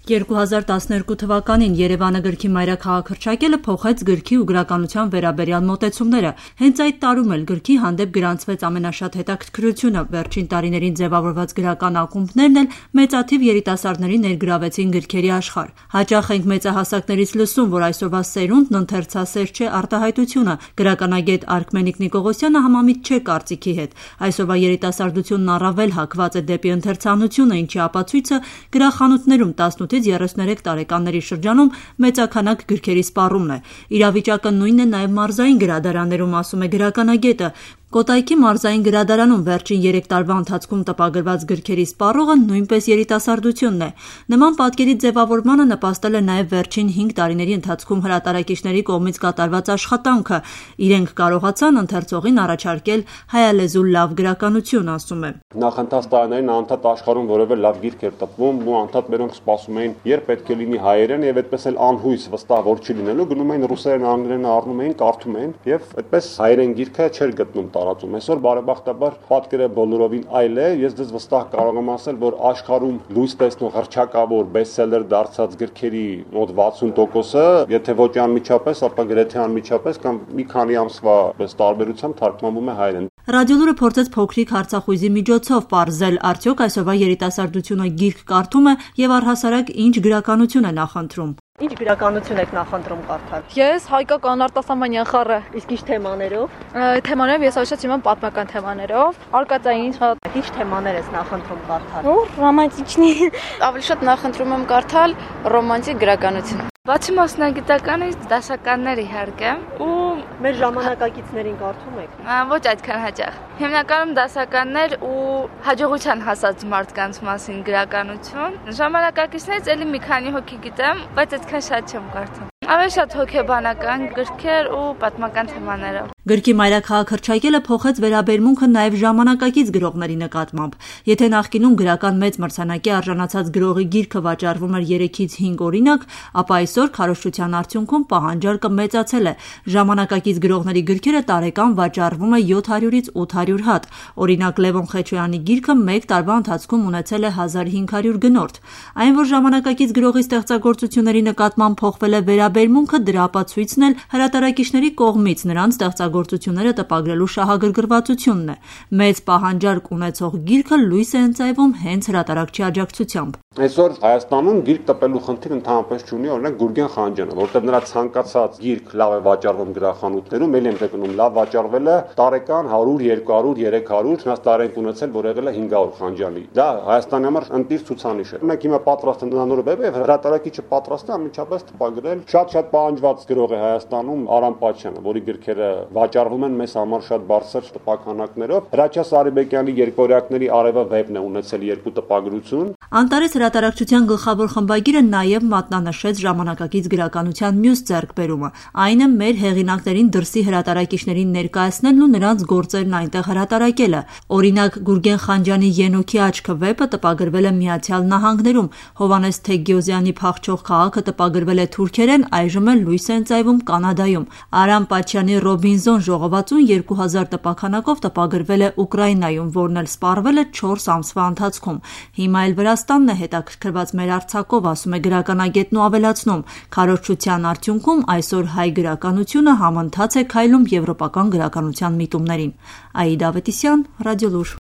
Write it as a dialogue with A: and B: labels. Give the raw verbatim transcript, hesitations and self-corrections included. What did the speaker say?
A: երկու հազար տասներկու թվականին Երևանը գրքի մայրաքաղաք հռչակելը փոխեց գրքի ու գրականության վերաբերյալ մոտեցումները։ Հենց այդ տարում էլ գրքի հանդեպ գրանցվեց ամենաշատ հետաքրքրությունը։ Վերջին տարիներին ձևավորված գրական ակումբներն էլ մեծաթիվ երիտասարդների ներգրավեցին գրքերի աշխարհ։ Հաճախ ենք մեծահասակներից լսում, որ այսօրվա սերունդն ընթերցասեր չէ արտահայտությունը։ Գրականագետ Արքմենիկ Նիկողոսյանը համամիտ չէ կարծիքի հետ։ Այսօրվա երիտասարդությունն առավել հակված է դեպի ընթերցանությունը, ինչի ապացույցը գրախանութներում տասնութից երեսուներեք տարեկանների շրջանում մեծաքանակ գրքերի սպառումն է։ Իրավիճակը նույնն է նաև մարզային գրադարաններում, ասում է գրականագետը։ Կոտայքի մարզային գրադարանում վերջին երեք տարվա ընթացքում տպագրված գրքերի սպառողը նույնպես երիտասարդությունն է։ Նման պատկերի ձևավորմանը նպաստել է նաև վերջին հինգ տարիների ընթացքում հրատարակիչների կողմից կատարված աշխատանքը։ Իրենք կարողացան ընթերցողին առաջարկել հայալեզու լավ գրականություն, ասում է։
B: Նախընթաց տարիներին անընդհատ աշխարհում որևէ լավ գիրք էր տպվում, ու անընդհատ մերոնք սպասում էին, երբ պետք է լինի հայերեն, եւ այդպես էլ անհույս վստահ որ չի լինելու, գնում էին ռուսերեն, անգլերեն առնում էին, կարդում էին, եւ այդպես հայերեն գիրքը չէր գտնում տարածում։ Այսօր բարեբախտաբար պատկերը բոլորովին այլ է։ Ես դες վստահ կարող եմ ասել, որ աշխարհում լույս տեսնող հռչակավոր բեսթսելեր դարձած գրքերի մոտ վաթսուն տոկոսը, եթե ոչ անմիջապես, ապա գրեթե անմիջապես կամ մի քանի ամսվա պես տարբերությամբ թարգմանվում է հայերեն։
A: Ռադիոլուրը փորձեց փոքրիկ հարցախույզի միջոցով պարզել, արդյոք այսօրվա երիտասարդությունը գիրք կարդում է եւ առհասարակ ինչ գրականություն է նախընտրում։
C: Ինչ գրականություն եք նախընտրում կարդալ։
D: Ես հայկական արտասահմանյան խառը։
C: Իսկ ինչ թեմաներով։
D: Թեմաներով ես ոչ իմ պատմական թեմաներով, արկածային շատ։
C: Ինչ թեմաներ ես նախընտրում կարդալ։
D: Ու ռոմանտիկնի։ Ավելի շատ նախընտրում եմ կարդալ ռոմանտիկ գրականություն։ Բացի մասնագիտականից դասականներ իհարկե ու
C: մեր ժամանակակիցներին կարդում եք։
D: Ոչ այդքան հաճախ։ Հիմնականում դասականներ ու հաջողության հասած մարդկանց մասին գրականություն։ Ժամանակակիցներից էլի մի քանի հոգի գիտեմ, բայց այդքան շատ չեմ կարդում։ Ավելի շատ հոգեբանական գրքեր ու պատմական թեմաներով։
A: Գրքի մայրաքաղաք հռչակելը փոխեց վերաբերմունքը նաև ժամանակակից գրողների նկատմամբ։ Եթե նախկինում գրական մեծ մրցանակի արժանացած գրողի գիրքը վաճառվում էր երեքից հինգ օրինակ, ապա այսօր քարոզչության արդյունքում պահանջարկը մեծացել է։ Ժամանակակից գրողների գրքերը տարեկան վաճառվում է յոթ հարյուրից ութ հարյուր հատ։ Օրինակ Լևոն Խեչոյանի գիրքը մեկ տարվա ընթացքում ունեցել է հազար հինգ հարյուր գնորդ։ Այն, որ ժամանակակից գրողի ստեղծագործությունների նկատմամբ փոխվել է վերաբերմունքը, դրա ապացույցն էլ հրատարակիչների կողմից նրանց ստեղծագործությունները տպագրելու շահագրգռվածությունն է։ Մեծ պահանջարկ ունեցող գիրքը լույս է ընծայվում հենց հրատարակչի աջակցությամբ։
B: Այսօր Հայաստանում գիրք տպելու խնդիր ընդհանրապես չունի, օրինակ Գուրգեն Խանջյանը, որտեղ նրա ցանկացած գիրք լավ է վաճառվում գրախանութներում, ելի եմ տենում լավ վաճառվել է տարեկան հարյուր, երկու հարյուր, երեք հարյուր, հնաց տարենք ունեցել, որ եղել է հինգ հարյուր Խանջյանի։ Դա Հայաստանի համար ընտիր ցուցանիշ է։ Մենք հիմա պատրաստ ենք նոր վեբ եւ հրատարակիչը պատրաստ է անմիջապես տպագրել շատ-շատ պահանջված գրող է Հայաստանում Արամ Պաչյանը, որի գրքերը վաճառվում են մեզ համար շատ բարձր տպաքանակներով։ Հրաչյա Սարիբեկյանի երկօրյակների արևը վեբն է ունեցել երկու տպագրություն։
A: Անտարես հրատարակչության գլխավոր խմբագիրը նաև մատնանշեց ժամանակակից գրականության մյուս ձեռքբերումը։ Այն է մեր հեղինակներին դրսի հրատարակիչներին ներկայացնելն ու նրանց գործերն այնտեղ հրատարակելը։ Օրինակ Գուրգեն Խանջյանի Ենոքի աչքը վեպը տպագրվել է Միացյալ Նահանգներում, Հովհաննես Թեգյոզյանի Փախչող քաղաքը տպագրվել է թուրքերեն, այժմ էլ լույս է ընծայվում Կանադայում։ Արամ Պաչյանի Ռոբինզոն ժողովածուն երկու հազար տպաքանակով տպագրվել է Ուկրաինայում, որն էլ սպառվել է չորս ամսվա ընթացքում։ Հիմա էլ Վրաստանն է հետաքրքրված մեր արձակով, ասում է գրականագետն ու ավելացնում. քարոզչության արդյունքում այսօր հայ գրականությունը համընթաց է քայլում եվրոպական գրականության միտումներին։ Աիդա Ավետիսյան, Ռադիոլուր։